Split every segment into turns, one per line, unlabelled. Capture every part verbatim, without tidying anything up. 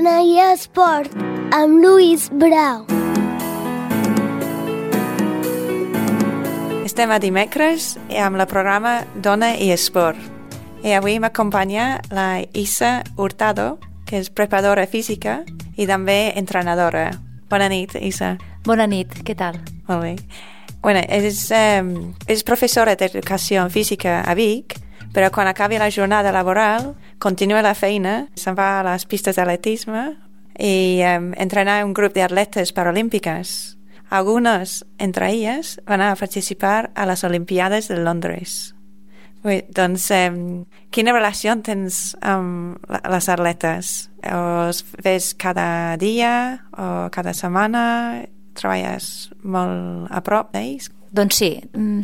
Dona i Esport, amb Lluís Brau.
Estem a dimecres amb el programa Dona i Esport. I avui m'acompanya la Isa Hurtado, que és preparadora física i també entrenadora. Bona nit, Isa.
Bona nit, què tal?
Molt bé. Bueno, és, um, és professora d'educació física a Vic, però quan acabi la jornada laboral, continua la feina, se'n va a les pistes d'atletisme i um, entrenar un grup d'atletes paralímpiques. Algunes, entre elles, van a participar a les Olimpiades de Londres. Bé, doncs, um, quina relació tens amb les atletes? Els ves cada dia o cada setmana? Treballes molt a prop d'ells?
Doncs sí,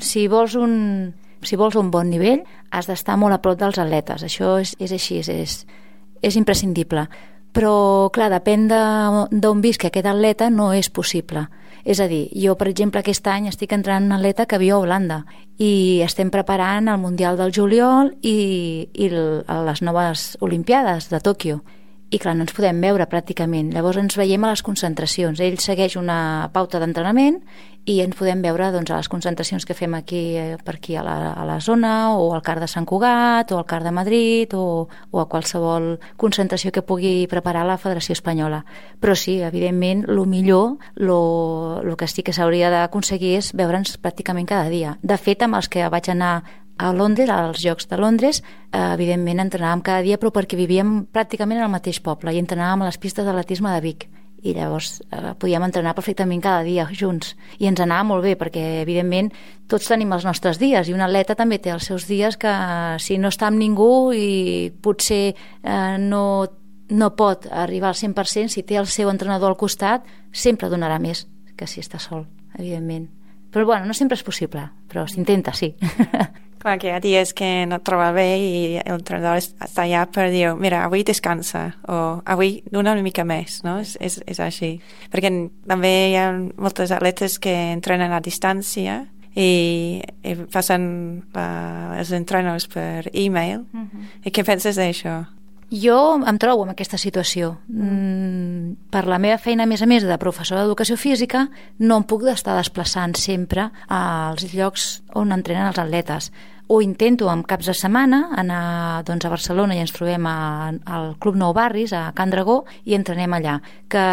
si vols un... Si vols un bon nivell, has d'estar molt a prop dels atletes. Això és, és així, és, és imprescindible. Però, clar, depèn d'on visqui aquest atleta, no és possible. És a dir, jo, per exemple, aquest any estic entrenant un atleta que viu a Holanda i estem preparant el Mundial del juliol i, i les noves Olimpiades de Tòquio. I, clar, no ens podem veure pràcticament. Llavors ens veiem a les concentracions. Ell segueix una pauta d'entrenament i ens podem veure doncs, a les concentracions que fem aquí per aquí a la, a la zona, o al CAR de Sant Cugat, o al CAR de Madrid, o, o a qualsevol concentració que pugui preparar la Federació Espanyola. Però sí, evidentment, el millor, el que sí que s'hauria d'aconseguir és veure'ns pràcticament cada dia. De fet, amb els que vaig anar a Londres, als Jocs de Londres, eh, evidentment entrenàvem cada dia, però perquè vivíem pràcticament al mateix poble i entrenàvem a les pistes d'atletisme de Vic. I llavors eh, podíem entrenar perfectament cada dia junts. I ens anava molt bé, perquè evidentment tots tenim els nostres dies, i un atleta també té els seus dies que si no està amb ningú i potser eh, no, no pot arribar al cent per cent, si té el seu entrenador al costat, sempre donarà més que si està sol, evidentment. Però bueno, no sempre és possible, però s'intenta, sí.
Clar que hi ha dies que no et troba bé i l'entrenador està allà per dir, mira, avui descansa, o avui dona una mica més, no? És, és, és així. Perquè també hi ha moltes atletes que entrenen a distància i, i passen la, els entrenos per e-mail. Uh-huh. I què penses d'això?
Jo em trobo en aquesta situació. Mm, per la meva feina, a més a més, de professora d'educació física, no em puc estar desplaçant sempre als llocs on entrenen els atletes. O intento en caps de setmana anar doncs, a Barcelona i ens trobem a, al Club Nou Barris, a Can Dragó, i entrenem allà. Que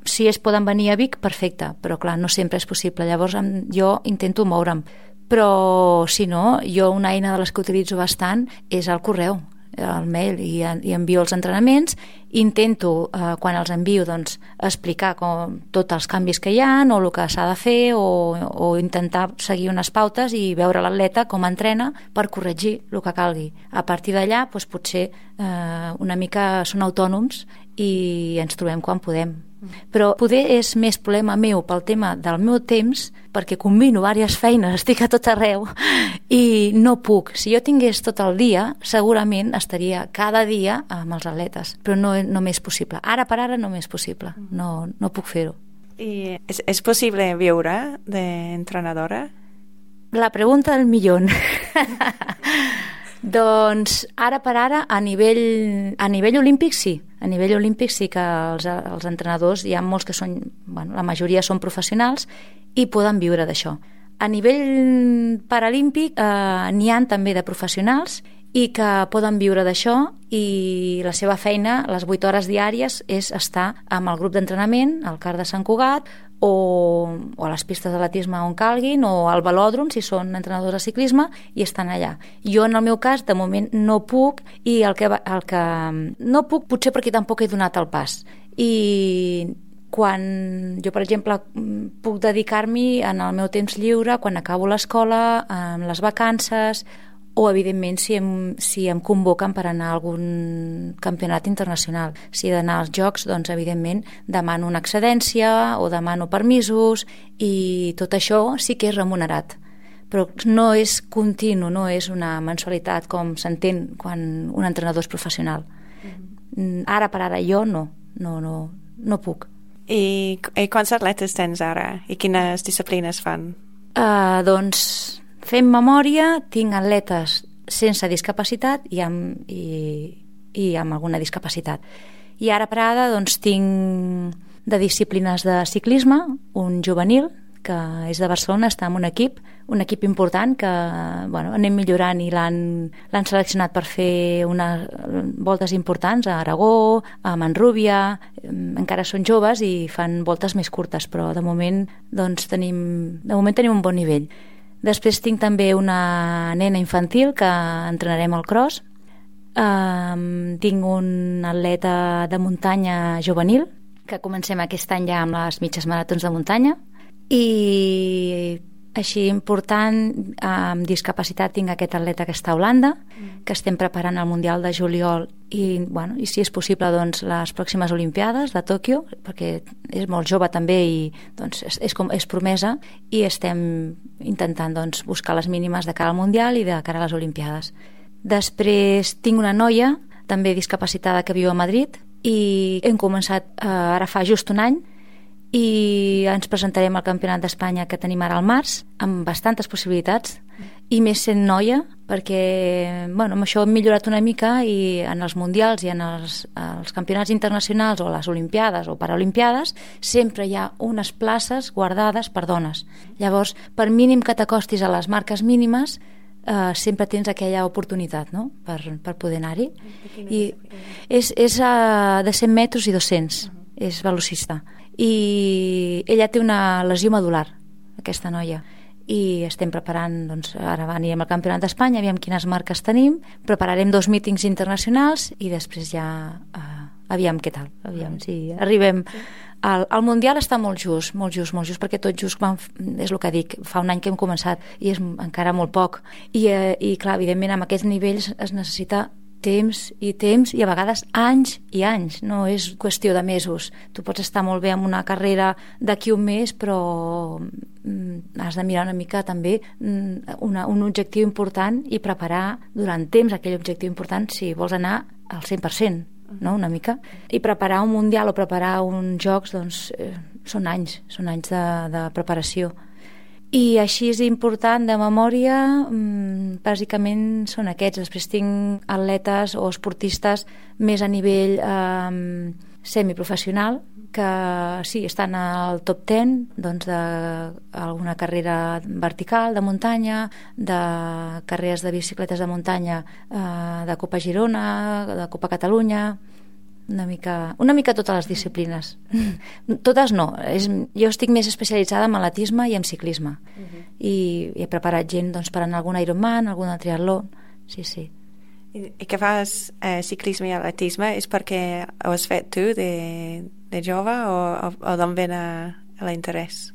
si es poden venir a Vic, perfecte, però clar, no sempre és possible. Llavors jo intento moure'm. Però si no, jo una eina de les que utilitzo bastant és el correu, el mail, i, i envio els entrenaments. Intento, eh, quan els envio, doncs, explicar com, tots els canvis que hi ha o el que s'ha de fer, o, o intentar seguir unes pautes i veure l'atleta com entrena per corregir el que calgui. A partir d'allà, doncs, potser eh, una mica són autònoms i ens trobem quan podem. Però poder és més problema meu pel tema del meu temps, perquè combino diverses feines, estic a tot arreu i no puc. Si jo tingués tot el dia, segurament estaria cada dia amb els atletes, però no, no m'és possible. Ara per ara no m'és possible, no, no puc fer-ho.
I és, és possible viure d'entrenadora?
La pregunta del millón. Doncs ara per ara a nivell, a nivell olímpic sí, a nivell olímpic sí que els, els entrenadors, hi ha molts que són, bueno, la majoria són professionals i poden viure d'això. A nivell paralímpic eh, n'hi ha també de professionals i que poden viure d'això, i la seva feina, les vuit hores diàries, és estar amb el grup d'entrenament al CAR de Sant Cugat, o, o a les pistes d'atletisme on calguin, o al velòdrom si són entrenadors de ciclisme, i estan allà. Jo en el meu cas de moment no puc, i el que, el que no puc potser perquè tampoc he donat el pas, i quan jo, per exemple, puc dedicar-m'hi en el meu temps lliure, quan acabo l'escola, en les vacances, o evidentment si em, si em convoquen per anar a algun campionat internacional. Si he d'anar als Jocs, doncs evidentment demano una excedència o demano permisos, i tot això sí que és remunerat, però no és continu, no és una mensualitat com s'entén quan un entrenador és professional. Mm-hmm. Ara per ara jo no, no, no, no puc.
I, i quants atletes tens ara? I quines disciplines fan?
Uh, doncs fent memòria, tinc atletes sense discapacitat i amb, i, i amb alguna discapacitat. I ara per ara doncs, tinc de disciplines de ciclisme, un juvenil, que és de Barcelona, està en un equip, un equip important que bueno, anem millorant i l'han, l'han seleccionat per fer unes voltes importants a Aragó, a Manrúbia, encara són joves i fan voltes més curtes, però de moment, doncs, tenim, de moment tenim un bon nivell. Després tinc també una nena infantil que entrenarem al cross. Um, tinc un atleta de muntanya juvenil que comencem aquest any ja amb les mitges maratons de muntanya. I així important, amb discapacitat tinc aquest atleta que està a Holanda, que estem preparant el Mundial de juliol i, bueno, i si és possible doncs, les pròximes Olimpiades de Tòquio, perquè és molt jove també i doncs, és, és, com, és promesa, i estem intentant doncs, buscar les mínimes de cara al Mundial i de cara a les Olimpiades. Després tinc una noia també discapacitada que viu a Madrid i hem començat eh, ara fa just un any i ens presentarem al Campionat d'Espanya que tenim ara al març, amb bastantes possibilitats, i més sent noia, perquè bueno, amb això hem millorat una mica i en els mundials i en els, els campionats internacionals o les olimpiades o paralimpiades sempre hi ha unes places guardades per dones. Llavors, per mínim que t'acostis a les marques mínimes, Uh, sempre tens aquella oportunitat, no?, per, per poder anar-hi. I és, és uh, de cent metres i dos-cents, uh-huh. És velocista. I ella té una lesió medular, aquesta noia, i estem preparant, doncs, ara anirem al Campionat d'Espanya, aviam quines marques tenim, prepararem dos mítings internacionals i després ja uh, aviam què tal, aviam si arribem... Sí. El, el Mundial està molt just, molt just, molt just, perquè tot just van, és el que dic, fa un any que hem començat i és encara molt poc. I, eh, i clar, evidentment, amb aquests nivells es necessita temps i temps i a vegades anys i anys, no és qüestió de mesos. Tu pots estar molt bé en una carrera d'aquí un mes, però mm, has de mirar una mica també mm, una, un objectiu important i preparar durant temps aquell objectiu important si vols anar al cent per cent. No? Una mica, i preparar un mundial o preparar uns jocs doncs, eh, són anys, són anys de, de preparació. I així és important de memòria, mmm, bàsicament són aquests. Després tinc atletes o esportistes més a nivell eh, semiprofessional que sí, estan al top deu doncs, d'alguna carrera vertical de muntanya, de carreres de bicicletes de muntanya, eh, de Copa Girona, de Copa Catalunya, una mica, una mica totes les disciplines. Totes no, és, jo estic més especialitzada en atletisme i en ciclisme. Uh-huh. I, i he preparat gent doncs, per anar a algun Ironman, algun triatló, sí, sí.
I, i que fas eh, ciclisme i atletisme és perquè ho has fet tu de, de jove o, o, o d'on ven a, a l'interès?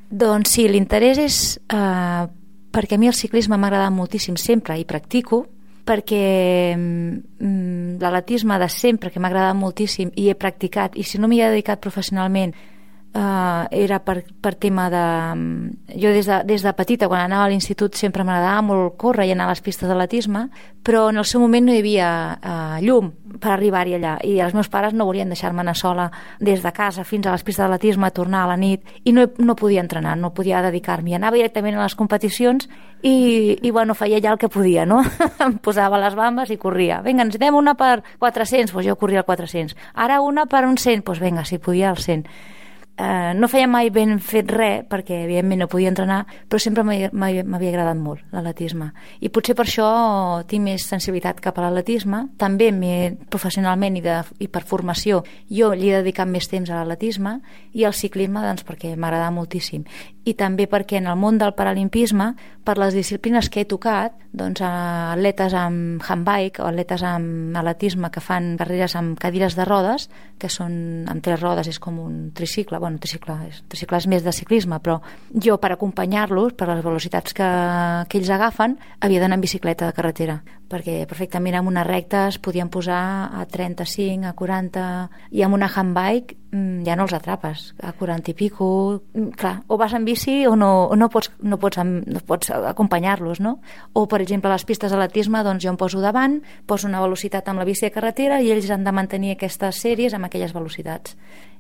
Doncs sí, l'interès és eh, perquè a mi el ciclisme m'ha agradat moltíssim sempre i practico, perquè mm, l'atletisme de sempre que m'ha agradat moltíssim i he practicat, i si no m'hi he dedicat professionalment Uh, era per, per tema de... Jo des de, des de petita, quan anava a l'institut, sempre m'agradava molt córrer i anar a les pistes d'atletisme, però en el seu moment no hi havia uh, llum per arribar-hi allà, i els meus pares no volien deixar-me anar sola des de casa fins a les pistes d'atletisme, a tornar a la nit, i no, no podia entrenar, no podia dedicar-m'hi. Anava directament a les competicions i, i bueno, feia ja el que podia, no? Em posava les bambes i corria. Vinga, ens anem una per quatre-cents, doncs jo corria al quatre-cents. Ara una per un cent, doncs vinga, si podia al cent. Uh, no feia mai ben fet res perquè evidentment no podia entrenar, però sempre m'havia agradat molt l'atletisme, i potser per això tinc més sensibilitat cap a l'atletisme. També professionalment i, de, i per formació jo li he dedicat més temps a l'atletisme, i al ciclisme doncs, perquè m'agrada moltíssim, i també perquè en el món del paralimpisme, per les disciplines que he tocat, doncs atletes amb handbike o atletes amb atletisme que fan carreres amb cadires de rodes, que són amb tres rodes, és com un tricicle, bueno, tricicle és, tricicle és més de ciclisme, però jo per acompanyar-los, per les velocitats que, que ells agafen, havia d'anar en bicicleta de carretera, perquè perfectament en una recta es podien posar a trenta-cinc, a quaranta, i amb una handbike ja no els atrapes, a quaranta i pico, clar, o vas en bici o no, o no pots, no pots, no pots acompanyar-los, no? O, per exemple, a les pistes d'atletisme, doncs jo em poso davant, poso una velocitat amb la bici de carretera i ells han de mantenir aquestes sèries amb aquelles velocitats.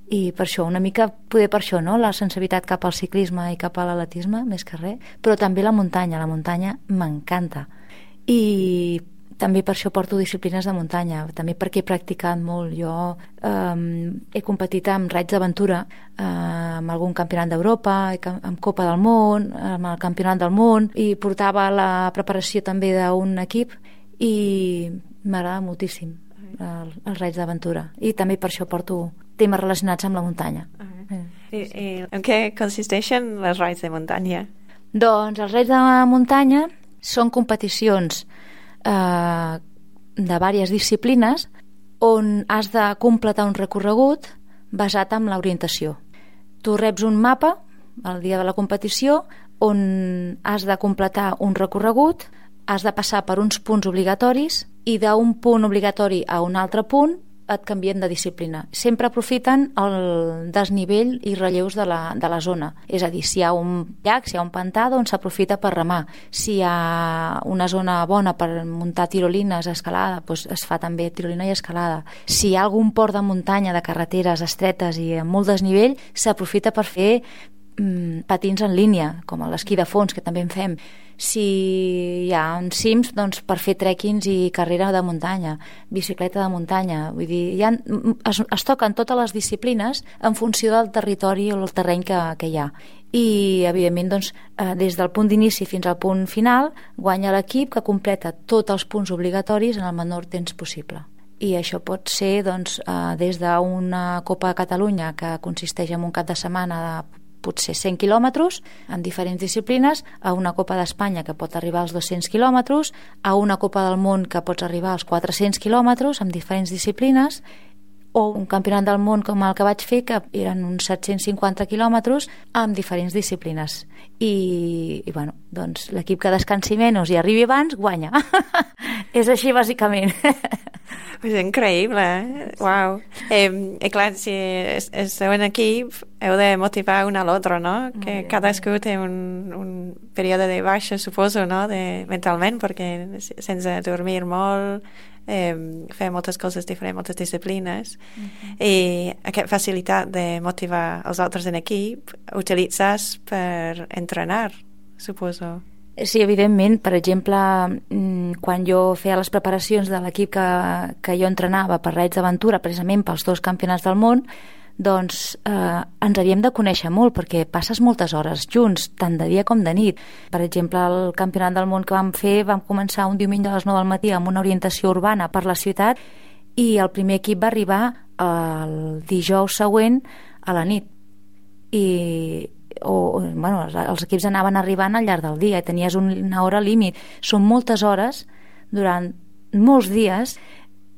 I per això, una mica, poder per això, no?, la sensibilitat cap al ciclisme i cap a l'atletisme, més que res, però també la muntanya, la muntanya m'encanta. I també per això porto disciplines de muntanya, també perquè he practicat molt. Jo eh, he competit amb raids d'aventura, eh, amb algun campionat d'Europa, amb Copa del Món, amb el Campionat del Món, i portava la preparació també d'un equip i m'agrada moltíssim el, els raids d'aventura. I també per això porto temes relacionats amb la muntanya.
Uh-huh. I, i en què consisteixen les raids de muntanya?
Doncs els raids de muntanya són competicions eh, de diverses disciplines on has de completar un recorregut basat en l'orientació. Tu reps un mapa el dia de la competició on has de completar un recorregut, has de passar per uns punts obligatoris i d'un punt obligatori a un altre punt et canvien de disciplina. Sempre aprofiten el desnivell i relleus de la, de la zona. És a dir, si hi ha un llac, si hi ha un pantà, doncs s'aprofita per remar. Si hi ha una zona bona per muntar tirolines, escalada, doncs es fa també tirolina i escalada. Si hi ha algun port de muntanya, de carreteres estretes i amb molt desnivell, s'aprofita per fer mm, patins en línia, com l'esquí de fons, que també en fem. Si hi ha uns cims, doncs per fer trekkings i carrera de muntanya, bicicleta de muntanya. Vull dir, hi ha, es, es toquen totes les disciplines en funció del territori o el terreny que, que hi ha. I, evidentment, doncs, eh, des del punt d'inici fins al punt final, guanya l'equip que completa tots els punts obligatoris en el menor temps possible. I això pot ser doncs, eh, des d'una Copa de Catalunya que consisteix en un cap de setmana de potser cent quilòmetres en diferents disciplines, a una Copa d'Espanya que pot arribar als dos-cents quilòmetres, a una Copa del Món que pots arribar als quatre-cents quilòmetres amb diferents disciplines, o un campionat del món com el que vaig fer, que eren uns set-cents cinquanta quilòmetres amb diferents disciplines. I, i bueno, doncs l'equip que descansi menys i arribi abans, guanya. És així, bàsicament.
És increïble, eh? Uau. Eh, I clar, si esteu en equip, heu de motivar un a l'altre, no? Que cadascú té un, un període de baixa, suposo, no? De, mentalment, perquè sense dormir molt, eh, fer moltes coses diferents, moltes disciplines, uh-huh. I aquesta facilitat de motivar els altres en equip utilitzes per entrenar, suposo.
Sí, evidentment. Per exemple, quan jo feia les preparacions de l'equip que, que jo entrenava per raids d'aventura, precisament pels dos campionats del món, doncs eh, ens havíem de conèixer molt, perquè passes moltes hores junts, tant de dia com de nit. Per exemple, el campionat del món que vam fer, vam començar un diumenge a les nou del matí amb una orientació urbana per la ciutat, i el primer equip va arribar el dijous següent a la nit. I o, bueno, els equips anaven arribant al llarg del dia i tenies una hora límit. Són moltes hores durant molts dies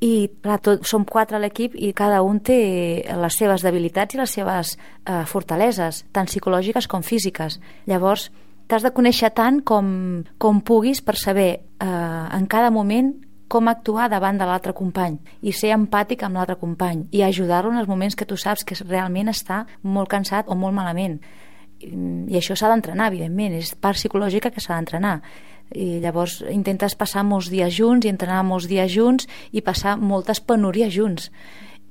i clar, tot, som quatre a l'equip i cada un té les seves debilitats i les seves eh, fortaleses, tant psicològiques com físiques. Llavors t'has de conèixer tant com, com puguis per saber eh, en cada moment com actuar davant de l'altre company i ser empàtic amb l'altre company i ajudar-lo en els moments que tu saps que realment està molt cansat o molt malament. I això s'ha d'entrenar, evidentment, és part psicològica que s'ha d'entrenar. I llavors intentes passar molts dies junts i entrenar molts dies junts i passar moltes penúries junts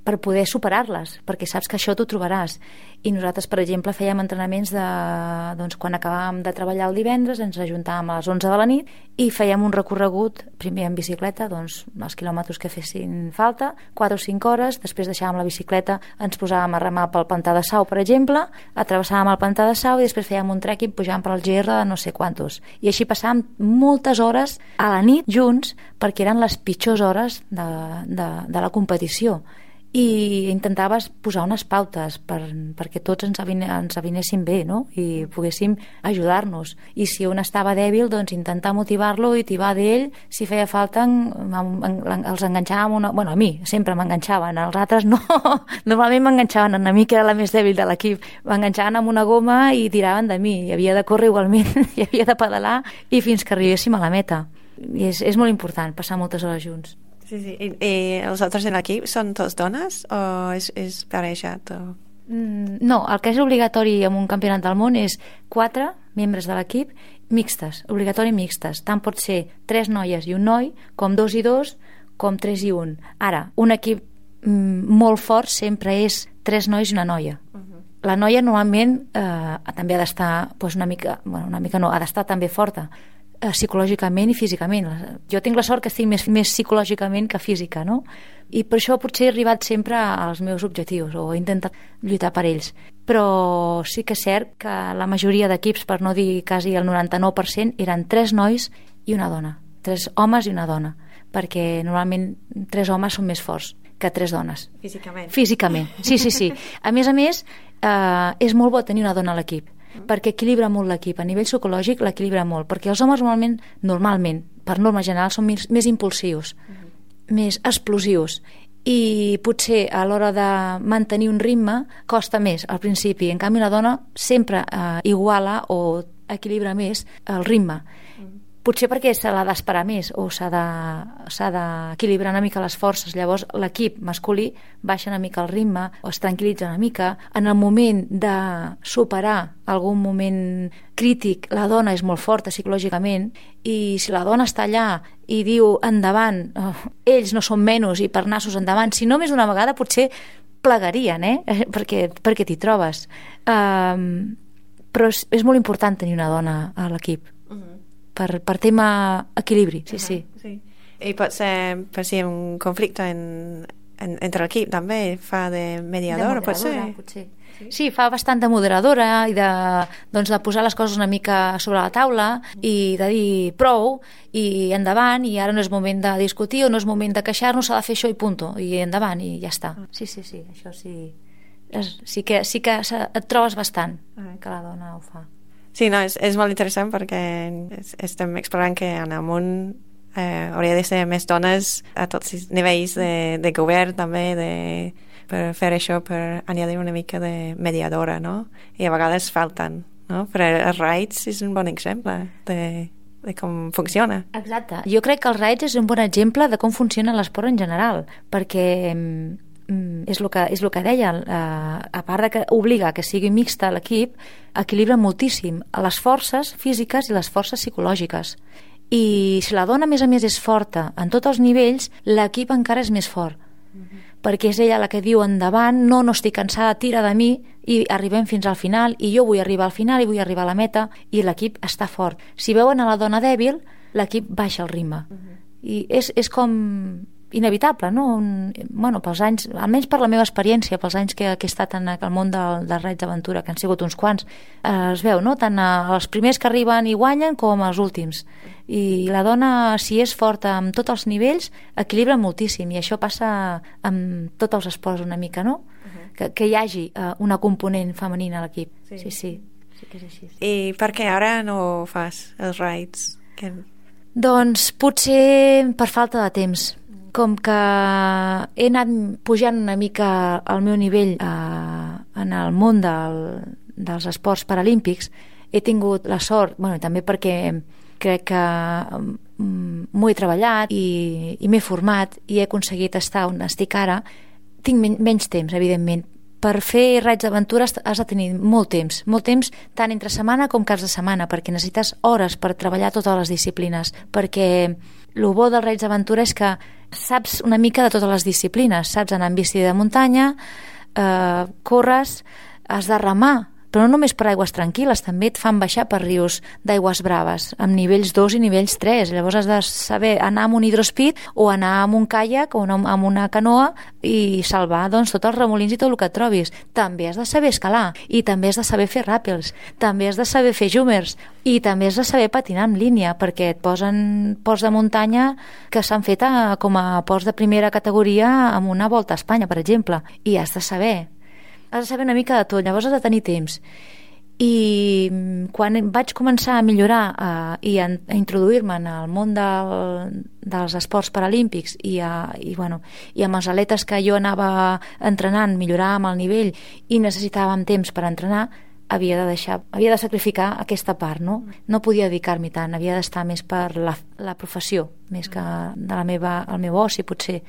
per poder superar-les, perquè saps que això t'ho trobaràs. I nosaltres, per exemple, fèiem entrenaments de, doncs, quan acabàvem de treballar el divendres, ens ajuntàvem a les onze de la nit i fèiem un recorregut, primer en bicicleta, doncs els quilòmetres que fessin falta, quatre o cinc hores, després deixàvem la bicicleta, ens posàvem a remar pel pantà de Sau, per exemple, atravessàvem el pantà de Sau i després fèiem un trekking pujant per al G R de no sé quantos. I així passàvem moltes hores a la nit junts perquè eren les pitjors hores de, de, de la competició. I intentaves posar unes pautes per, perquè tots ens, avine, ens avinéssim bé, no? I poguéssim ajudar-nos. I si un estava dèbil, doncs intentar motivar-lo i tibar d'ell. Si feia falta, en, en, en, els enganxàvem una... Bueno, a mi sempre m'enganxaven, als altres no. Normalment m'enganxaven, a mi que era la més dèbil de l'equip. M'enganxaven amb una goma i tiraven de mi. I havia de córrer igualment, i havia de pedalar i fins que arribéssim a la meta. I és, és molt important passar moltes hores junts.
Sí, sí. I, i els altres en l'equip són tots dones o és, és parejat? O...
Mm, no, el que és obligatori en un campionat del món és quatre membres de l'equip mixtes, obligatori mixtes. Tant pot ser tres noies i un noi, com dos i dos, com tres i un. Ara, un equip mm, molt fort sempre és tres nois i una noia. Uh-huh. La noia normalment eh, també ha d'estar pues, una mica, bueno, una mica no, ha d'estar també forta. eh, psicològicament i físicament. Jo tinc la sort que estic més, més psicològicament que física, no? I per això potser he arribat sempre als meus objectius o he intentat lluitar per ells. Però sí que és cert que la majoria d'equips, per no dir quasi el noranta-nou per cent, eren tres nois i una dona. Tres homes i una dona. Perquè normalment tres homes són més forts que tres dones.
Físicament.
Físicament, sí, sí, sí. A més a més, eh, és molt bo tenir una dona a l'equip, perquè equilibra molt l'equip. A nivell psicològic l'equilibra molt, perquè els homes normalment, normalment per norma general, són més, més impulsius, uh-huh. més explosius, i potser a l'hora de mantenir un ritme costa més al principi. En canvi, la dona sempre eh, iguala o equilibra més el ritme. Uh-huh. Potser perquè se l'ha d'esperar més o s'ha de, s'ha d'equilibrar una mica les forces. Llavors l'equip masculí baixa una mica el ritme o es tranquil·litza una mica. En el moment de superar algun moment crític, la dona és molt forta psicològicament, i si la dona està allà i diu endavant, oh, ells no són menys i per nassos endavant, si no més d'una vegada potser plegarien, eh? perquè, perquè t'hi trobes. Um, però és, és molt important tenir una dona a l'equip. Uh-huh. Per, per tema equilibri, sí, uh-huh, sí.
sí. I pot ser, per si un conflicte en, en, entre l'equip també fa de mediadora,
de moderadora,
pot ser?
Potser. Sí? sí, fa bastant de moderadora i de, doncs, de posar les coses una mica sobre la taula i de dir prou i endavant, i ara no és moment de discutir o no és moment de queixar-nos, s'ha de fer això i punto, i endavant i ja està. Sí, sí, sí, això sí. Sí que, sí que et trobes bastant que la dona ho fa.
Sí, no, és, és molt interessant perquè estem explorant que en el món eh, hauria de ser més dones a tots els nivells de, de govern també, de, per fer això, per añadir una mica de mediadora, no? I a vegades falten, no? Però els raids és un bon exemple de, de com funciona.
Exacte. Jo crec que els raids és un bon exemple de com funciona l'esport en general, perquè és el que, és el que deia, a part de que obliga que sigui mixta l'equip, equilibra moltíssim les forces físiques i les forces psicològiques. I si la dona, a més a més, és forta en tots els nivells, l'equip encara és més fort. Uh-huh. Perquè és ella la que diu endavant, no, no estic cansada, tira de mi, i arribem fins al final, i jo vull arribar al final, i vull arribar a la meta, i l'equip està fort. Si veuen a la dona dèbil, l'equip baixa el ritme. Uh-huh. I és, és com inevitable, no? Un, bueno, pels anys, almenys per la meva experiència, pels anys que, que he estat en el món del, dels raids d'aventura, que han sigut uns quants, eh, es veu, no? Tant els primers que arriben i guanyen com els últims. I la dona, si és forta en tots els nivells, equilibra moltíssim, i això passa amb tots els esports una mica, no? Uh-huh. Que, que hi hagi eh, una component femenina a l'equip. Sí. sí, sí, sí que és així.
I per què ara no fas els raids? Que...
Doncs potser per falta de temps. Com que he anat pujant una mica al meu nivell eh, en el món del, dels esports paralímpics, he tingut la sort, bueno, també perquè crec que mm, m'ho he treballat i, i m'he format i he aconseguit estar on estic ara, tinc men menys temps, evidentment. Per fer raids d'aventura has de tenir molt temps, molt temps tant entre setmana com caps de setmana, perquè necessites hores per treballar totes les disciplines, perquè el bo dels raids d'aventura és que saps una mica de totes les disciplines, saps anar en bici de muntanya, eh, corres, has de remar, però no només per aigües tranquil·les, també et fan baixar per rius d'aigües braves, amb nivells dos i nivells tres. Llavors has de saber anar amb un hidrospeed o anar amb un caiac o amb una canoa i salvar doncs, tots els remolins i tot el que et trobis. També has de saber escalar, i també has de saber fer ràpels, també has de saber fer zoomers, i també has de saber patinar en línia, perquè et posen ports de muntanya que s'han fet a, com a ports de primera categoria amb una volta a Espanya, per exemple, i has de saber. Has de saber una mica de tot, llavors has de tenir temps. I quan vaig començar a millorar eh, i a, a introduir-me en el món del, dels esports paralímpics i, a, i, bueno, i amb els atletes que jo anava entrenant, milloràvem el nivell i necessitàvem temps per entrenar, havia de deixar, havia de sacrificar aquesta part, no? No podia dedicar-m'hi tant, havia d'estar més per la, la professió, més que de la meva, el meu oci, potser.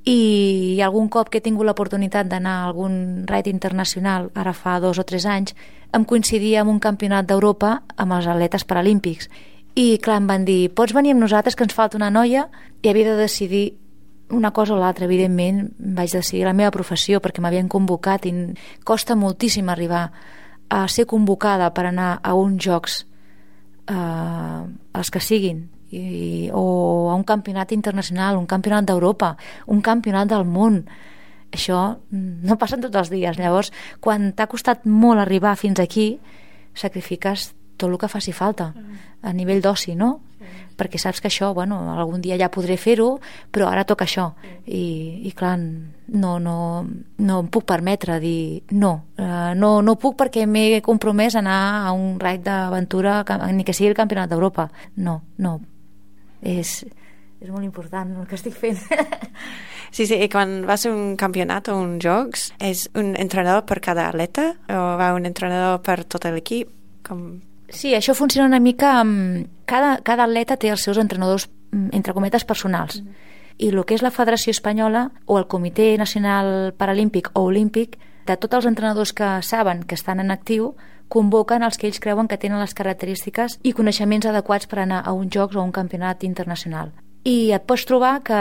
I algun cop que he tingut l'oportunitat d'anar a algun raid internacional, ara fa dos o tres anys, em coincidia amb un campionat d'Europa amb els atletes paralímpics. I clar, em van dir, pots venir amb nosaltres que ens falta una noia? I havia de decidir una cosa o l'altra, evidentment vaig decidir la meva professió perquè m'havien convocat i costa moltíssim arribar a ser convocada per anar a uns jocs eh, els que siguin, i, o a un campionat internacional, un campionat d'Europa, un campionat del món. Això no passa tots els dies. Llavors, quan t'ha costat molt arribar fins aquí, sacrifiques tot el que faci falta a nivell d'oci, no? Sí. Perquè saps que això, bueno, algun dia ja podré fer-ho, però ara toca això. I, i clar, no, no, no em puc permetre dir no, uh, no, no puc perquè m'he compromès a anar a un raid d'aventura, ni que sigui el campionat d'Europa. No, no. És, és molt important el que estic fent.
Sí, sí, i quan vas a un campionat o uns jocs, és un entrenador per cada atleta o va un entrenador per tot l'equip? Com...
Sí, això funciona una mica amb... Cada, cada atleta té els seus entrenadors, entre cometes, personals. Mm. I el que és la Federació Espanyola o el Comitè Nacional Paralímpic o Olímpic, de tots els entrenadors que saben que estan en actiu, convoquen els que ells creuen que tenen les característiques i coneixements adequats per anar a uns jocs o a un campionat internacional. I et pots trobar que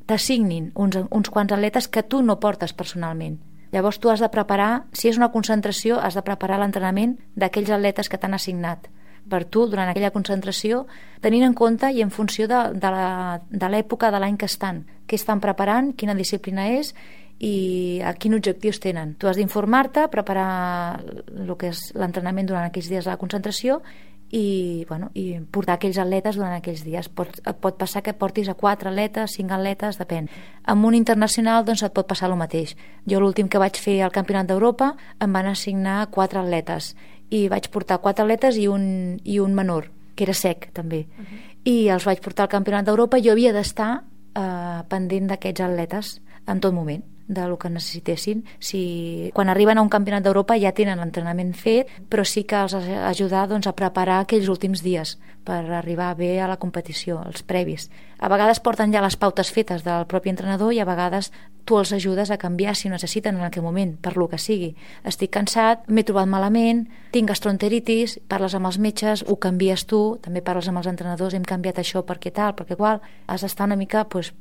t'assignin uns, uns quants atletes que tu no portes personalment. Llavors tu has de preparar, si és una concentració, has de preparar l'entrenament d'aquells atletes que t'han assignat per tu durant aquella concentració, tenint en compte i en funció de, de l'època de l'any que estan, què estan preparant, quina disciplina és i a quins objectius tenen. Tu has d'informar-te, preparar el que és l'entrenament durant aquells dies de la concentració i, bueno, i portar aquells atletes durant aquells dies. Pot, et pot passar que portis a quatre atletes, cinc atletes, depèn. Amb un internacional doncs et pot passar el mateix. Jo l'últim que vaig fer al Campionat d'Europa em van assignar quatre atletes i vaig portar quatre atletes i un, i un menor, que era sec també. Uh-huh. I els vaig portar al Campionat d'Europa i jo havia d'estar eh, pendent d'aquests atletes en tot moment, del que necessitessin. Si, quan arriben a un campionat d'Europa ja tenen l'entrenament fet, però sí que els has d'ajudar doncs, a preparar aquells últims dies per arribar bé a la competició, els previs. A vegades porten ja les pautes fetes del propi entrenador i a vegades tu els ajudes a canviar si ho necessiten en aquell moment, per lo que sigui. Estic cansat, m'he trobat malament, tinc gastroenteritis, parles amb els metges, ho canvies tu, també parles amb els entrenadors, hem canviat això perquè tal, perquè qual. Has d'estar una mica pues,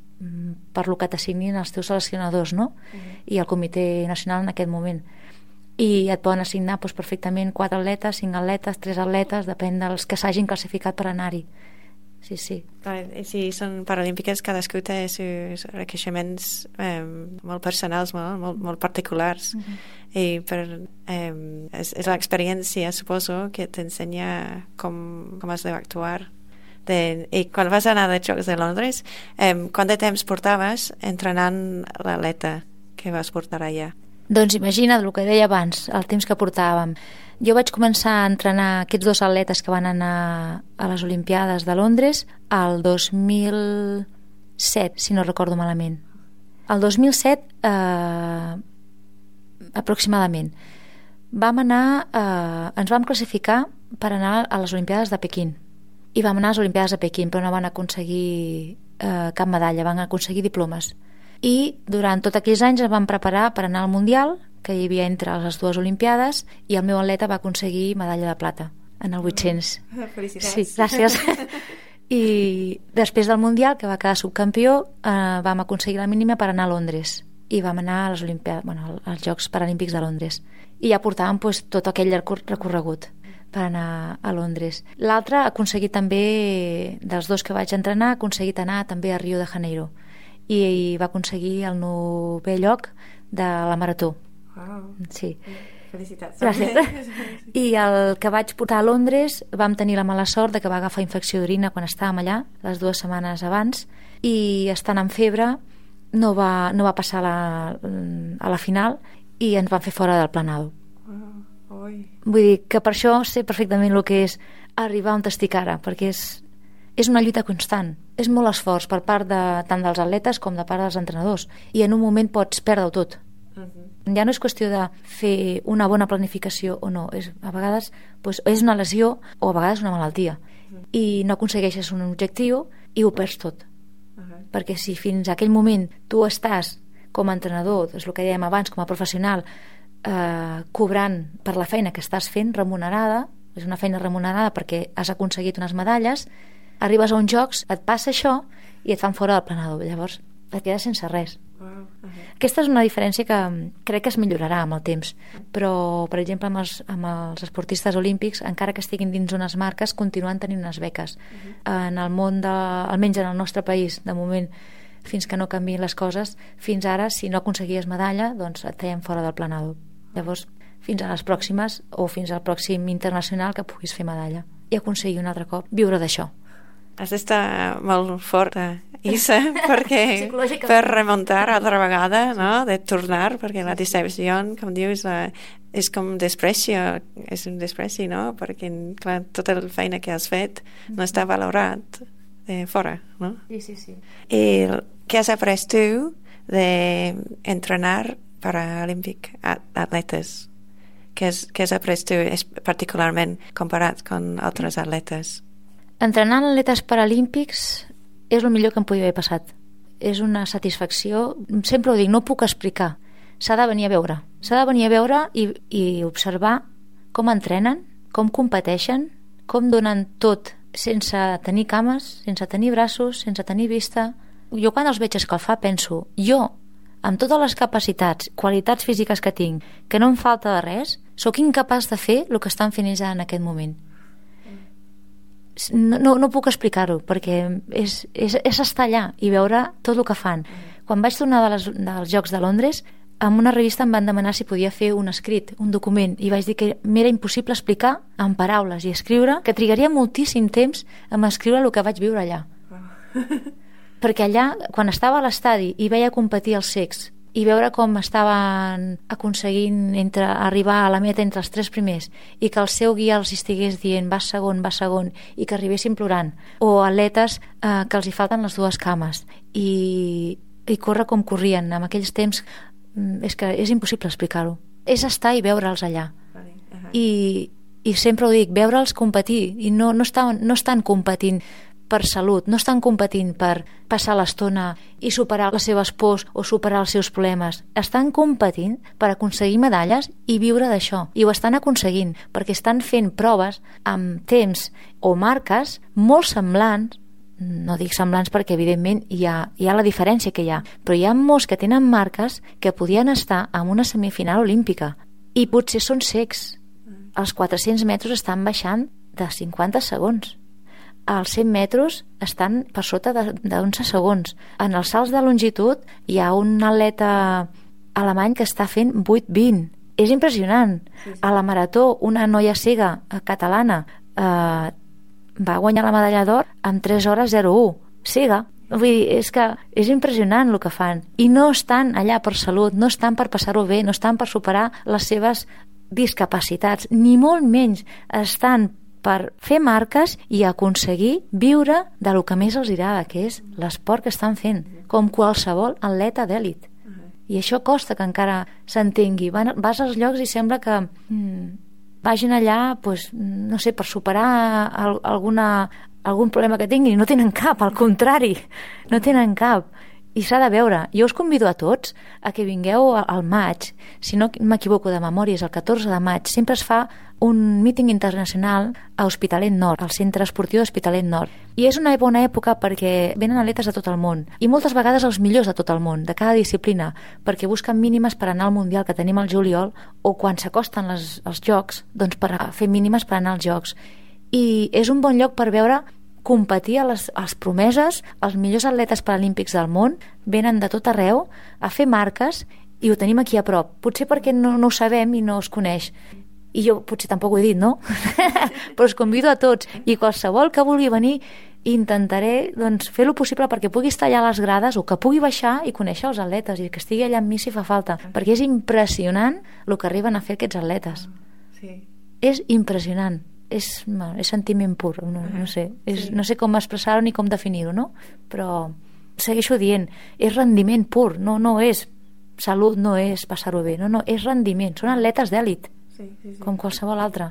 per lo que t'assignin els teus seleccionadors, no? Uh-huh. I el Comitè Nacional en aquest moment. I et poden assignar doncs, perfectament quatre atletes, cinc atletes, tres atletes, depèn dels que s'hagin classificat per anar-hi. Sí, sí.
Si són paralímpiques, cadascú té seus requeixements eh, molt personals, molt, molt, molt particulars. Uh-huh. I per, eh, és, és l'experiència, suposo, que t'ensenya com, com has d'actuar. De, i quan vas anar als Jocs de Londres, eh, quant de temps portaves entrenant l'atleta que vas portar allà?
Doncs imagina't el que deia abans, el temps que portàvem. Jo vaig començar a entrenar aquests dos atletes que van anar a les Olimpiades de Londres el dos mil set, si no recordo malament. El dos mil set, eh, aproximadament, vam anar, eh, ens vam classificar per anar a les Olimpiades de Pequín. I vam anar a les Olimpiades de Pequín, però no van aconseguir eh, cap medalla, van aconseguir diplomes. I durant tots aquells anys ens vam preparar per anar al Mundial, que hi havia entre les dues Olimpiades, i el meu atleta va aconseguir medalla de plata en el vuit-cents.
Felicitats.
Sí, gràcies. I després del Mundial, que va quedar subcampió, eh, vam aconseguir la mínima per anar a Londres. I vam anar a les Olimpiades, bueno, als Jocs Paralímpics de Londres. I ja portàvem pues, tot aquell recorregut per anar a Londres. L'altre ha aconseguit també, dels dos que vaig entrenar, ha aconseguit anar també a Rio de Janeiro i, i va aconseguir el novè lloc de la marató.
Wow.
Sí.
Felicitats.
Gràcies. I el que vaig portar a Londres vam tenir la mala sort de que va agafar infecció d'orina quan estàvem allà, les dues setmanes abans, i estant amb febre no va, no va passar a la, a la final i ens van fer fora del planado. Vull dir que per això sé perfectament el que és arribar on estic ara, perquè és, és una lluita constant, és molt esforç per part de, tant dels atletes com de part dels entrenadors, i en un moment pots perdre-ho tot. Uh-huh. Ja no és qüestió de fer una bona planificació o no, és, a vegades doncs, és una lesió o a vegades una malaltia, uh-huh. i no aconsegueixes un objectiu i ho perds tot. Uh-huh. Perquè si fins a aquell moment tu estàs com a entrenador, és el que dèiem abans, com a professional, Eh, cobrant per la feina que estàs fent, remunerada, és una feina remunerada perquè has aconseguit unes medalles, arribes a uns jocs, et passa això i et fan fora del planador, llavors et quedes sense res.
Wow. Uh-huh.
Aquesta és una diferència que crec que es millorarà amb el temps, però, per exemple, amb els, amb els esportistes olímpics, encara que estiguin dins unes marques, continuen tenint unes beques. Uh-huh. En el món, de, almenys en el nostre país, de moment, fins que no canviïn les coses, fins ara, si no aconseguies medalla, doncs et feien fora del planador. Llavors, fins a les pròximes, o fins al pròxim internacional que puguis fer medalla. I aconseguir un altre cop viure d'això.
Has d'estar molt forta, Isa, perquè per remuntar altra vegada, no? De tornar, perquè la decepció, com dius, la, és com desprecio, és un despreci, no? Perquè, clar, tota la feina que has fet no està valorat de fora, no?
Sí, sí, sí.
I què has après tu d'entrenar paralímpic atletes? Què has, què has après tu particularment comparat amb altres atletes?
Entrenar atletes paralímpics és el millor que em podia haver passat. És una satisfacció, sempre ho dic, no ho puc explicar. S'ha de venir a veure. S'ha de venir a veure i, i observar com entrenen, com competeixen, com donen tot sense tenir cames, sense tenir braços, sense tenir vista. Jo quan els veig escalfar penso, jo, amb totes les capacitats, qualitats físiques que tinc, que no em falta de res, sóc incapaç de fer el que estan fent ells en aquest moment. No, no, no puc explicar-ho, perquè és, és, és estar allà i veure tot el que fan. Quan vaig tornar de les, dels Jocs de Londres, en una revista em van demanar si podia fer un escrit, un document, i vaig dir que m'era impossible explicar en paraules i escriure, que trigaria moltíssim temps en escriure el que vaig viure allà. Perquè allà, quan estava a l'estadi i veia competir els cecs i veure com estaven aconseguint entre, arribar a la meta entre els tres primers i que el seu guia els estigués dient vas segon, vas segon, i que arribessin plorant, o atletes eh, que els hi falten les dues cames i, i córrer com corrien en aquells temps, és que és impossible explicar-ho. És estar i veure'ls allà. Uh-huh. I, i sempre ho dic, veure'ls competir, i no, no, estan, no estan competint per salut, no estan competint per passar l'estona i superar les seves pors o superar els seus problemes. Estan competint per aconseguir medalles i viure d'això. I ho estan aconseguint perquè estan fent proves amb temps o marques molt semblants, no dic semblants perquè evidentment hi ha, hi ha la diferència que hi ha, però hi ha molts que tenen marques que podien estar en una semifinal olímpica i potser són cecs. Els quatre-cents metres estan baixant de cinquanta segons. Els cent metres estan per sota d'onze segons. En els salts de longitud hi ha un atleta alemany que està fent vuit vint. És impressionant. Sí, sí. A la marató, una noia cega catalana eh, va guanyar la medalla d'or en tres hores zero u. Cega. Vull dir, és que és impressionant el que fan. I no estan allà per salut, no estan per passar-ho bé, no estan per superar les seves discapacitats, ni molt menys. Estan per fer marques i aconseguir viure de lo que més els agrada, que és l'esport que estan fent, com qualsevol atleta d'èlit. I això costa que encara s'entengui. Vas als llocs i sembla que mm, vagin allà, pues, no sé, per superar alguna, algun problema que tinguin. No tenen cap, al contrari, no tenen cap. I s'ha de veure. Jo us convido a tots a que vingueu al maig, si no m'equivoco de memòria, és el catorze de maig, sempre es fa un míting internacional a Hospitalet Nord, al Centre Esportiu d'Hospitalet Nord. I és una bona època perquè venen atletes de tot el món, i moltes vegades els millors de tot el món, de cada disciplina, perquè busquen mínimes per anar al Mundial que tenim al juliol, o quan s'acosten les, els Jocs, doncs per fer mínimes per anar als Jocs. I és un bon lloc per veure competir a les, a les promeses, els millors atletes paralímpics del món venen de tot arreu a fer marques i ho tenim aquí a prop. Potser perquè no, no ho sabem i no es coneix. I jo potser tampoc ho he dit, no? Però us convido a tots i qualsevol que vulgui venir intentaré doncs, fer lo possible perquè pugui estar allà a les grades o que pugui baixar i conèixer els atletes i que estigui allà amb mi si fa falta, perquè és impressionant el que arriben a fer aquests atletes. Sí. És impressionant. És, és sentiment pur, no, no sé és, sí. No sé com expressar-ho ni com definir-ho, no? Però segueixo dient, és rendiment pur, no, no és salut, no és passar-ho bé, no, no, és rendiment, són atletes d'èlit, sí, sí, sí. Com qualsevol altre.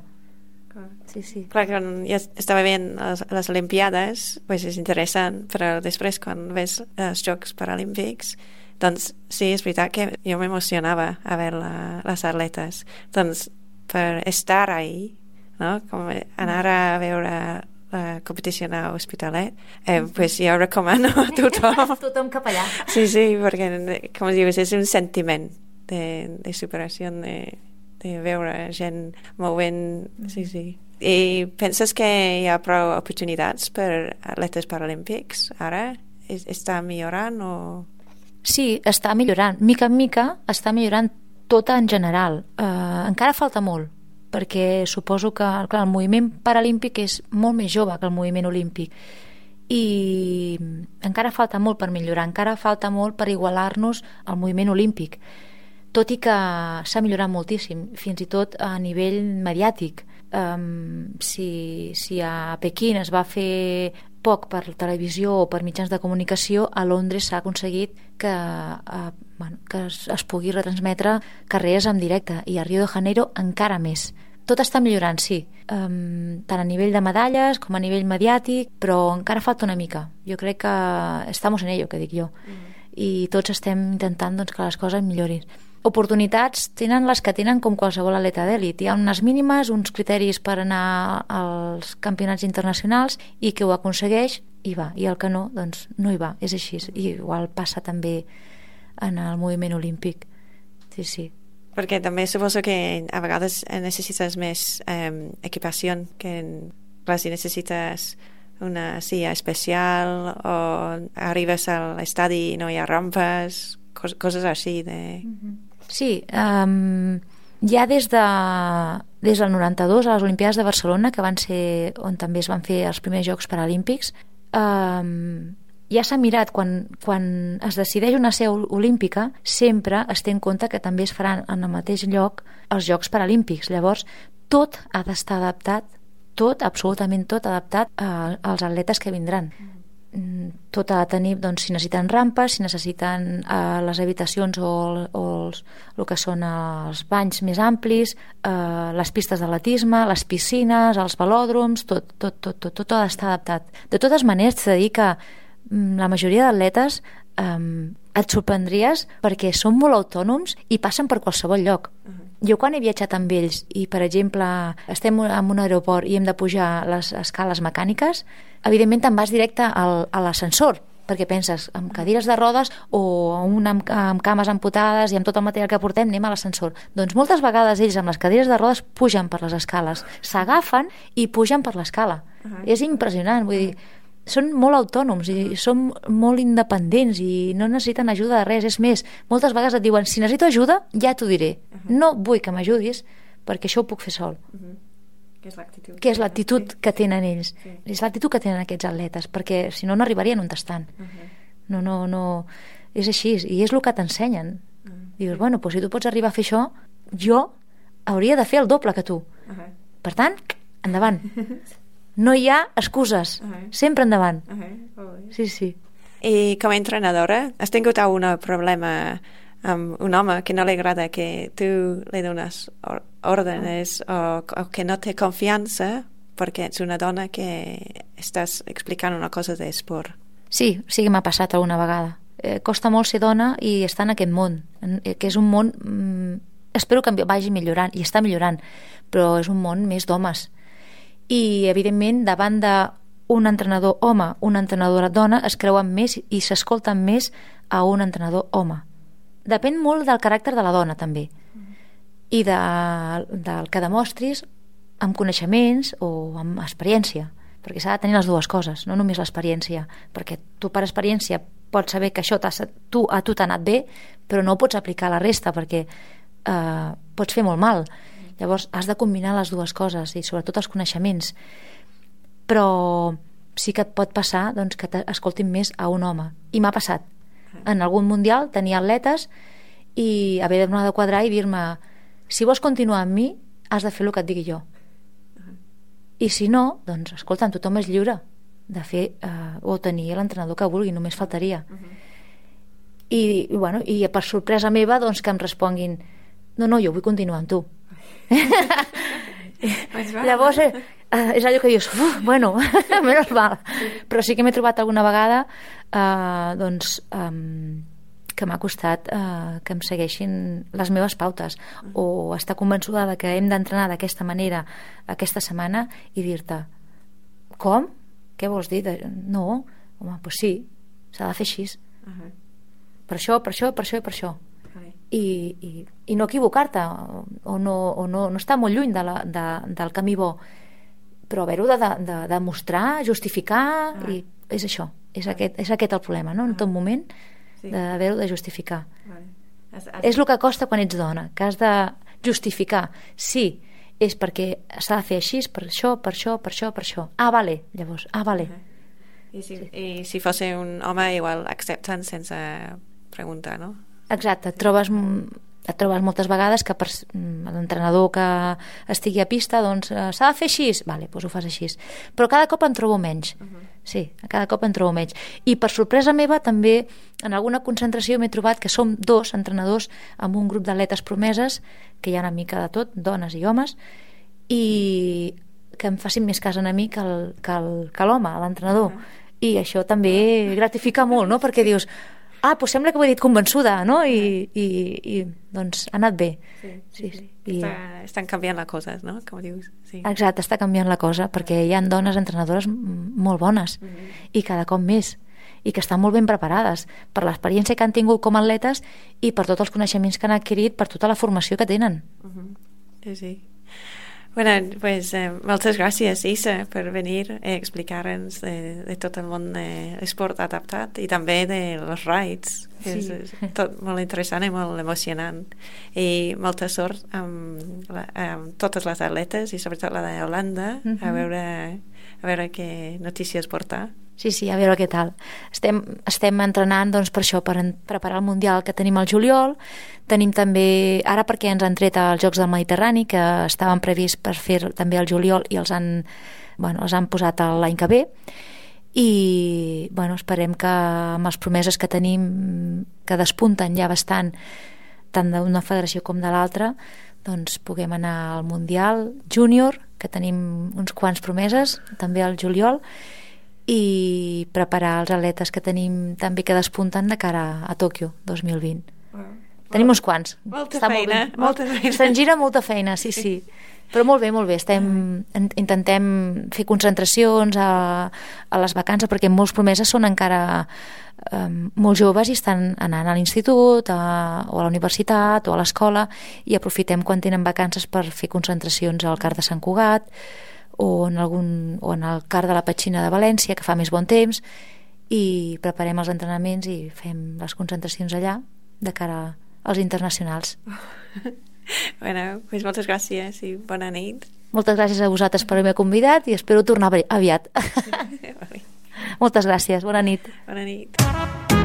Clar. Sí, sí. Clar,
quan ja estava veient les, les Olimpiades, pues és interessant, però després quan ves els Jocs Paralímpics, doncs sí, és veritat que jo m'emocionava a veure la, les atletes, doncs per estar ahí, no? Com anar a veure la competició a Hospitalet, eh, pues jo recomano a tothom.
Tothom cap allà.
Sí, sí, perquè, com dius, és un sentiment de, de superació, de, de veure gent movent, sí, sí. I penses que hi ha prou oportunitats per atletes paralímpics ara? Està millorant o...?
Sí, està millorant. Mica en mica està millorant tot en general. Uh, encara falta molt, perquè suposo que clar, el moviment paralímpic és molt més jove que el moviment olímpic i encara falta molt per millorar, encara falta molt per igualar-nos al moviment olímpic, tot i que s'ha millorat moltíssim, fins i tot a nivell mediàtic. Um, si, si a Pequín es va fer poc per televisió o per mitjans de comunicació, a Londres s'ha aconseguit que, uh, bueno, que es, es pugui retransmetre carreres en directe, i a Rio de Janeiro encara més. Tot està millorant, sí, um, tant a nivell de medalles com a nivell mediàtic, però encara falta una mica. Jo crec que estamos en ello, que dic jo, mm. i tots estem intentant doncs, que les coses millorin. Oportunitats tenen les que tenen com qualsevol atleta d'èlit. Hi ha unes mínimes, uns criteris per anar als campionats internacionals, i que ho aconsegueix hi va, i el que no, doncs no hi va, és així. I igual passa també en el moviment olímpic. Sí, sí.
Perquè també suposo que a vegades necessites més eh, equipació, que clar, si necessites una silla especial o arribes a l'estadi i no hi ha rampes, cos coses així de...
Mm-hmm. Sí, um, ja des, de, des del noranta-dos a les Olimpiades de Barcelona, que van ser on també es van fer els primers Jocs Paralímpics, um, ja s'ha mirat, quan, quan es decideix una seu olímpica, sempre es té en compte que també es faran en el mateix lloc els Jocs Paralímpics. Llavors, tot ha d'estar adaptat, tot, absolutament tot adaptat a, als atletes que vindran. Tot ha de tenir, doncs, si necessiten rampes, si necessiten eh, les habitacions o, o els, el que són els banys més amplis, eh, les pistes d'atletisme, les piscines, els velòdroms, tot, tot, tot, tot, tot ha d'estar adaptat. De totes maneres, t'he de dir que mm, la majoria d'atletes eh, et sorprendries perquè són molt autònoms i passen per qualsevol lloc. Uh-huh. Jo quan he viatjat amb ells i, per exemple, estem en un aeroport i hem de pujar les escales mecàniques, evidentment te'n vas directe al, a l'ascensor, perquè penses, amb cadires de rodes o una amb, amb cames amputades i amb tot el material que portem anem a l'ascensor. Doncs moltes vegades ells amb les cadires de rodes pugen per les escales, s'agafen i pugen per l'escala. Uh-huh. És impressionant, vull dir, són molt autònoms i són molt independents i no necessiten ajuda de res. És més, moltes vegades et diuen, si necessito ajuda, ja t'ho diré. Uh-huh. No vull que m'ajudis perquè això ho puc fer sol. Uh-huh.
Que és l'actitud.
Que és l'actitud que tenen ells. Sí. És l'actitud que tenen aquests atletes, perquè si no, no arribarien on estan. Uh-huh. No, no, no... És així, i és el que t'ensenyen. Uh-huh. Dius, bueno, doncs si tu pots arribar a fer això, jo hauria de fer el doble que tu. Uh-huh. Per tant, endavant. No hi ha excuses, uh-huh. sempre endavant. Uh-huh. Sí, sí.
I com a entrenadora, has tingut algun problema amb un home que no li agrada que tu li dones or ordres uh-huh. o, o que no té confiança perquè ets una dona que estàs explicant una cosa d'esport?
Sí, sí que m'ha passat alguna vegada. Eh, costa molt ser dona i estar en aquest món, que és un món... Mm, espero que vagi millorant, i està millorant, però és un món més d'homes. I evidentment davant d'un entrenador home, una entrenadora dona, es creuen més i s'escolten més a un entrenador home. Depèn molt del caràcter de la dona també, i de, del que demostris amb coneixements o amb experiència, perquè s'ha de tenir les dues coses, no només l'experiència, perquè tu per experiència pots saber que això tu, a tu t'ha anat bé, però no ho pots aplicar a la resta perquè eh, pots fer molt mal. Llavors has de combinar les dues coses i sobretot els coneixements, però sí que et pot passar doncs, que t'escoltin més a un home, i m'ha passat en algun mundial tenir atletes i haver d'anar de quadrar i dir-me, si vols continuar amb mi has de fer el que et digui jo, i si no, doncs escolta, tothom és lliure de fer eh, o tenir l'entrenador que vulgui, només faltaria. I, i, bueno, i per sorpresa meva doncs que em responguin, no, no, jo vull continuar amb tu. Llavors eh, és allò que dius, uf, bueno, menys mal. Però sí que m'he trobat alguna vegada eh, doncs um, que m'ha costat eh, que em segueixin les meves pautes o estar convençuda de que hem d'entrenar d'aquesta manera aquesta setmana i dir-te com? Què vols dir? No, home, doncs sí, s'ha de fer així. Uh-huh. Per això, per això, per això i per això. Okay. I, i, i no equivocar-te, o, no, o no, no estar molt lluny de la, de, del camí bo, però haver-ho de, de, de demostrar, justificar, uh-huh. i és això, és, uh-huh. aquest, és aquest el problema, no? En tot moment, sí. d'haver-ho de justificar. Vale. Has, has... És el que costa quan ets dona, que has de justificar. Sí, és perquè s'ha de fer així, per això, per això, per això, per això. Ah, vale, llavors, ah, vale.
Uh-huh. I, si, sí. I si fos un home, igual accepten sense preguntar, no?
Exacte, et trobes, et trobes moltes vegades que per l'entrenador que estigui a pista, doncs s'ha de fer així, vale, doncs ho fas així. Però cada cop en trobo menys. Uh-huh. Sí, cada cop en trobo menys. I per sorpresa meva també en alguna concentració m'he trobat que som dos entrenadors amb un grup d'atletes promeses, que hi ha una mica de tot, dones i homes, i que em facin més cas a mi que, el, que, el, que l'home, l'entrenador. Uh-huh. I això també gratifica molt, no? Perquè dius, ah, doncs sembla que ho he dit convençuda, no? I, i, i doncs ha anat bé. Sí, sí, sí. I...
Està, estan canviant les coses, no? Com dius. Sí.
Exacte, està canviant la cosa, perquè hi ha dones entrenadores molt bones, uh-huh. i cada cop més, i que estan molt ben preparades per l'experiència que han tingut com a atletes i per tots els coneixements que han adquirit, per tota la formació que tenen.
Uh-huh. Sí, sí. Bueno, pues eh, moltes gràcies, Isa, per venir a explicar-nos de, de tot el món de l'esport adaptat i també de los rides, que sí. és, és tot molt interessant i molt emocionant. I molta sort amb, la, amb totes les atletes i sobretot la d'Holanda, uh-huh. a veure, a veure què notícies portar.
Sí, sí, a veure què tal. Estem, estem entrenant doncs, per això, per en, preparar el Mundial que tenim al juliol. Tenim també, ara perquè ens han tret els Jocs del Mediterrani, que estaven prevists per fer també al juliol i els han, bueno, els han posat l'any que ve. I bueno, esperem que amb les promeses que tenim, que despunten ja bastant, tant d'una federació com de l'altra, doncs puguem anar al Mundial Júnior, que tenim uns quants promeses, també al juliol, i preparar els atletes que tenim també que despunten de cara a Tòquio dos mil vint. Wow. Tenim uns quants.
Molta Està feina.
Molt molta feina. Se'n gira molta feina, sí, sí. Però molt bé, molt bé. Estem, intentem fer concentracions a, a les vacances, perquè molts promeses són encara um, molt joves i estan anant a l'institut a, o a la universitat o a l'escola, i aprofitem quan tenen vacances per fer concentracions al Car de Sant Cugat, o en, algun, o en el Car de la Petxina de València, que fa més bon temps, i preparem els entrenaments i fem les concentracions allà de cara als internacionals.
Bueno, pues moltes gràcies i bona nit.
Moltes gràcies a vosaltres per haver-me convidat i espero tornar aviat. Moltes gràcies, bona nit.
Bona nit.